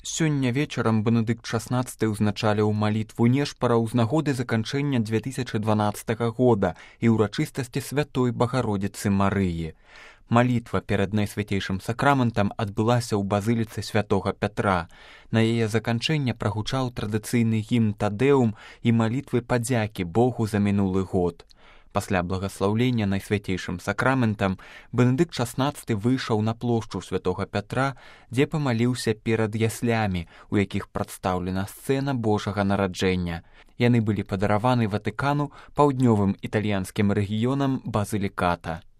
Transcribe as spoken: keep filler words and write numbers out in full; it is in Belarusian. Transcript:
Сёння вечарам Бенедыкт шаснаццаты ўзначаліў малітву нешпараў з нагоды заканчэння дзве тысячы дванаццатага года і ўрачыстасці святой Багародзіцы Марыі. Малітва перад найсвяцейшым сакраментам адбылася ў базыліцы святога Пятра. На яе заканчэнне прагучаў традыцыйны гімн Тадэум і малітвы падзякі Богу за мінулы год. Пасля благаслаўлення найсвяцейшым сакраментам Бенедыкт шаснаццаты выйшаў на плошчу святога Пятра, дзе памаліўся перад яслямі, у якіх прадстаўлена сцэна Божага нараджэння. Яны былі падараваны Ватыкану паўднёвым італьянскім рэгіёнам Базыліката.